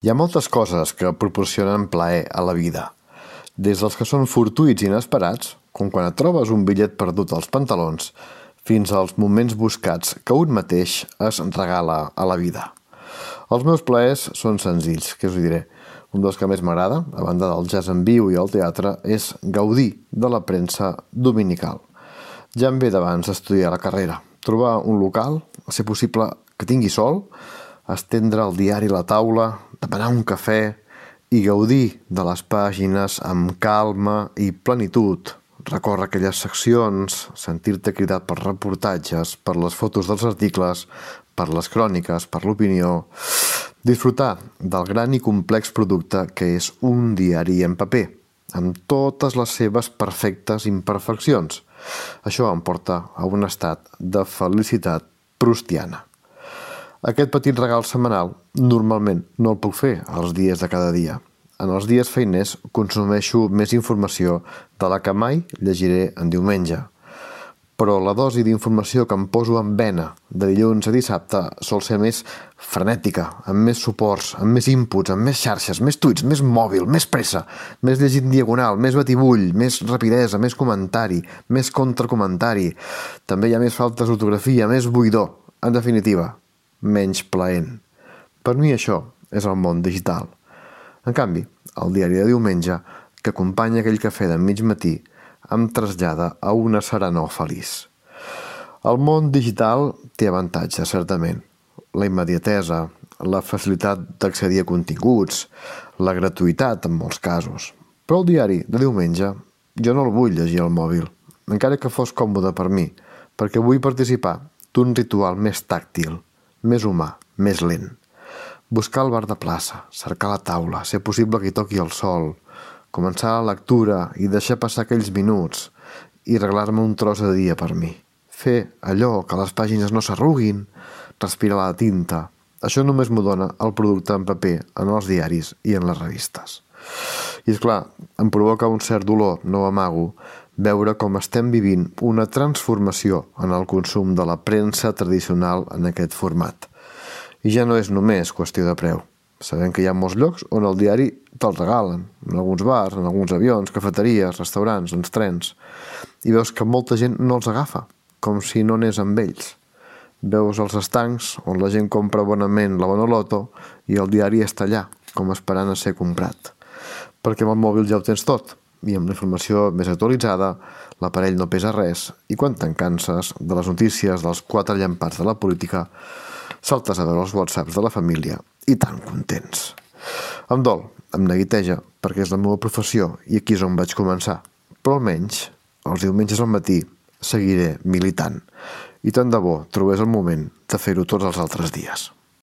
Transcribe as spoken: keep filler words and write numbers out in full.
Hi ha moltes coses que proporcionen plaer a la vida, des dels que són fortuïts i inesperats, com quan et trobes un bitllet perdut als pantalons, fins als moments buscats que un mateix es regala a la vida. Els meus plaers són senzills, què us ho diré. Un dels que més m'agrada, a banda del jazz en viu i el teatre, és gaudir de la premsa dominical. Ja em ve d'abans d'estudiar la carrera, trobar un local, a ser possible que tingui sol, estendre el diari a la taula, demanar un cafè i gaudir de les pàgines amb calma i plenitud, recórrer aquelles seccions, sentir-te cridat per reportatges, per les fotos dels articles, per les cròniques, per l'opinió, disfrutar del gran i complex producte que és un diari en paper, amb totes les seves perfectes imperfeccions. Això em porta a un estat de felicitat proustiana. Aquest petit regal setmanal normalment no el puc fer els dies de cada dia. En els dies feiners consumeixo més informació de la que mai llegiré en diumenge. Però la dosi d'informació que em poso en vena de dilluns a dissabte sol ser més frenètica, amb més suports, amb més inputs, amb més xarxes, més tuits, més mòbil, més pressa, més llegit en diagonal, més batibull, més rapidesa, més comentari, més contracomentari. També hi ha més faltes d'ortografia, més buidor. En definitiva, menys plaent. Per mi això és el món digital. En canvi, el diari de diumenge, que acompanya aquell cafè de mig matí, em trasllada a una serenor feliç. El món digital té avantatges, certament. La immediatesa, la facilitat d'accedir a continguts, la gratuïtat en molts casos. Però el diari de diumenge jo no el vull llegir al mòbil, encara que fos còmode per mi, perquè vull participar d'un ritual més tàctil, més humà, més lent. Buscar el bar de plaça, cercar la taula, ser possible que hi toqui el sol, començar la lectura i deixar passar aquells minuts i regalar-me un tros de dia per mi. Fer allò que les pàgines no s'arruguin, respirar la tinta. Això només m'ho dona el producte en paper en els diaris i en les revistes. I és clar, em provoca un cert dolor, no ho amago, veure com estem vivint una transformació en el consum de la premsa tradicional en aquest format. I ja no és només qüestió de preu. Sabem que hi ha molts llocs on el diari te'l regalen, en alguns bars, en alguns avions, cafeteries, restaurants, en trens, i veus que molta gent no els agafa, com si no anés amb ells. Veus els estancs on la gent compra bonament la Bonoloto i el diari està allà, com esperant a ser comprat. Perquè amb el mòbil ja ho tens tot, i amb la informació més actualitzada, l'aparell no pesa res, i quan te'n canses de les notícies dels quatre llampats de la política, saltes a veure els whatsapps de la família i tan contents. Em dol, em neguiteja, perquè és la meva professió i aquí és on vaig començar. Però almenys, els diumenges al matí, seguiré militant. I tant de bo trobés el moment de fer-ho tots els altres dies.